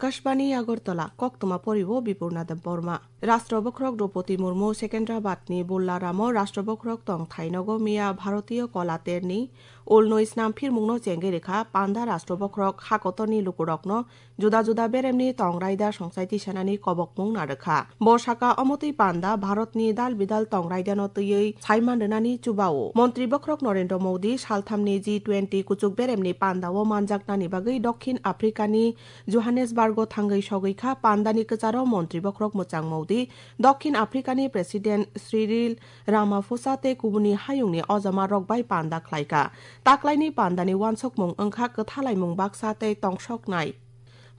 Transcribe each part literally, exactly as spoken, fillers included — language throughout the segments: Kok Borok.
Akashbani Agartala, koktwma poriwo Bipurna Debbarma. Rashtra Bokhorok Droupadi Murmu Secunderabad ni Bollaramo Rashtra Bokhorok tongthai nogo miya Bharatiya Kala Terni ulnwi snam phirmungno chengwi rwkha, panda Rashtra Bokhorok hakotorni lukurokno juda juda beremni tong raida songchai tisanani kobokmung narwkha. Bo saka omotwi panda Bharatni dal bidal tong raidano twiwi saiman rwnani chubao. Montri Bokhorok Narendra Modi salthamni G twenty kuchuk beremni pandao manjaknani bagwi Dokhin Afrikani Johannesburgo thangwi sogwi kha. Pandani kwcharo Montri Bokhorok Mwchang Modi, Dokhin Afrikani President Cyril Ramaphosa tei kubuni hayungni ojama rok bai panda khlai kha. Taklaini pandani wansukmung wngkha kwthalaimung baksa tei tongsoknai.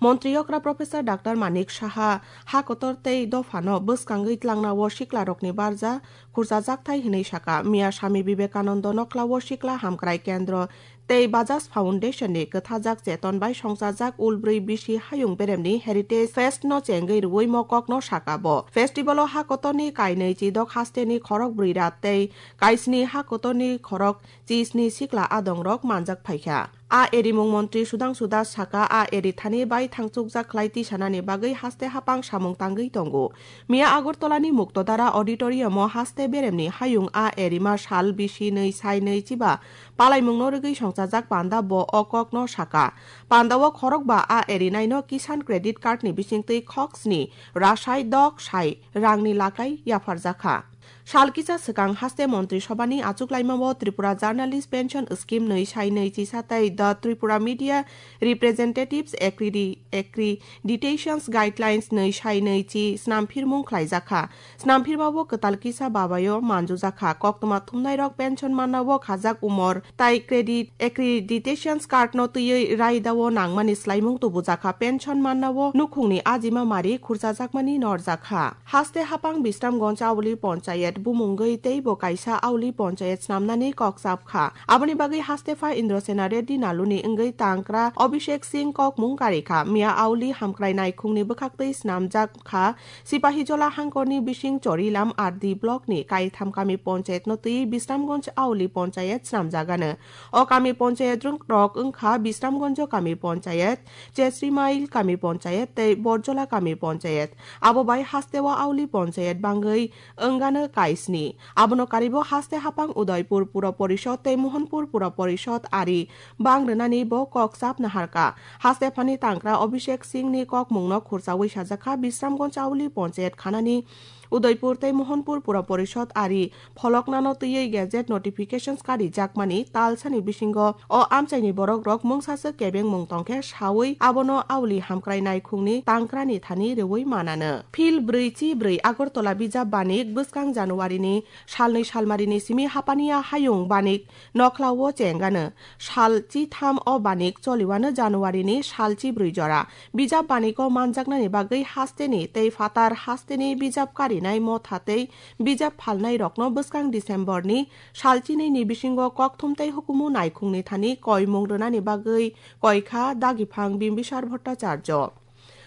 Montri okra Professor Doctor Manik Saha ha kotor tei dophano bwskangwi tlangnao siklarokni barja khurchajakthai hwnwi saka. Miya Swami Vivekanando noklao sikla hamkrai kendro tei Bajaj Foundation ni kwthajak cheton bai songchajak ulbrwi bisi hayung beremni Heritage Fest no chengwi rwui mokokno saka bo. Festival o ha kotorni kainwi chidok hasteni khorok brwi rat tei kaisni ha kotorni khorok chisni sikla adongrok manjak phaikha. A erimung montri Sudhangshu Das saka, a eri thani bai thangchukjak khlai tisanani bagwi haste hapang samung tangwi tongo. Miya Agartalani Muktodara Auditorium o haste beremni hayung a erima sal bisi nwi sai nwi chiba palaimungno rwgwi songchajak panda bo o kokno saka. Pandao khorokba a erinaino Kisan Credit Card ni bisingtwi khoksni rasai dok sai rangni lakai yapharjakha. Sal kisa swkang haste Montri Sobhani achuklaimao Tripura Journalist Pension Scheme nwi sai nwi chisa tei The Tripura Media Representatives Accredi-, Accreditations Guidelines nwi sai nwi chi snamphirmung khlaijakha. Snamphirmao kwtal kisa babaio manjujakha. Koktwma thumnairok pension mannao khajak umor tai credit accreditations card no twiwi raidao nangmani swlaimung tubujakha. Pension mannao nukhungni ajima mari khurchajakmani norjakha. Haste hapang Bisramganj Auli Ponchayet bumungwi teibo kaisa Auli Ponchayet snamnani kok chapkha. Aboni bagwi hastepha Indrasena Reddy Naluni wngwi tangkra Abhishek Singh kokmung karikha. Miya Auli hamkrai naikhungni bwkhaktwi snamjak kha. Sipahijola hangkorni bising Chorilam R D blockni kaitham kami ponchayetno twi Bisramganj Auli Ponchayet snamjagano. O kami ponchayet rok wngkha Bisramganj kami ponchayet, Chesrimail kami ponchayet tei Borjola kami ponchayet. Abo bai hasteo Auli ponchayet bangwi wngano kaisni. Abono karibo haste hapang Udaipur Pura Porishod tei Mohanpur Pura Porishod ari bang rwnani bo kok chap naharkha. Hastephani tangkra Abhishek Singhni kokmungno khurchawi sajakha Bisramganj Auli ponchayet khanani Udaipur tei Mohanpur Pura Porishod ari pholoknano twiwi gazette notifications karijakmani talsani bisingo o amchaini borokrok mungsaswk kebengmung tongkhe sawi abono Auli hamkrai naikhungni tangkrani thani rwui manano. Phil brwi chi brwi Agartala bijap banik bwskang January ni salnwi salmarini simi hapaniya hayung banik nokhlao chengano. Sal chi tham o banik choliwano January ni sal chi brwi jora. Bijap baniko manjaknani bagwi hasteni tei phatar hasteni bijap karinai motha tei bijap phalnairokno bwskang December ni sal chinwi ni bisingo kokthum tei hukumu naikhungni thani koimung rwnani bagwi koikha Dagiphang Bimbisar Bhattacharya.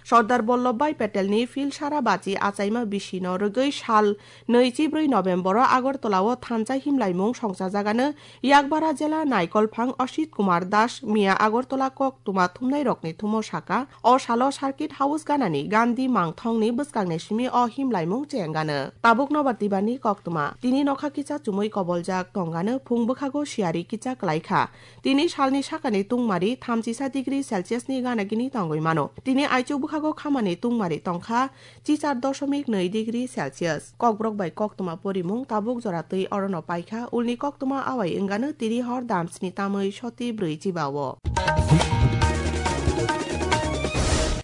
Sardar Vallabhbhai Patelni Phil Sara Bachi achaima bisino rwgwi sal nwi chi brwi November-o Agartala-o thansa himlaimung songchajagano Yakbara jela Naikolphang Asit Kumar Das miya Agartala koktwma thumnairokni thumo saka, o salo Circuit House ganani Gandhi mangthongni bwskangni simi o himlaimung chengano. Tabuk nobar tibani koktwma. Tini nokha kisa chumui koboljak tongano phung bwkhago siyari kisa kwlaikha. Tini salni sakani tungmari thamchisa degree Celsius ni gana gini tongwi mano. Tini aichuk bwkhago khamani tungmari tongkha chichar dosomik nwi degree Celsius. Kokborok bai koktwma porimung tabuk jora twi orono paikha, ulni koktwma awai wngano tiri hor damsni tamwi soti brwi chibao.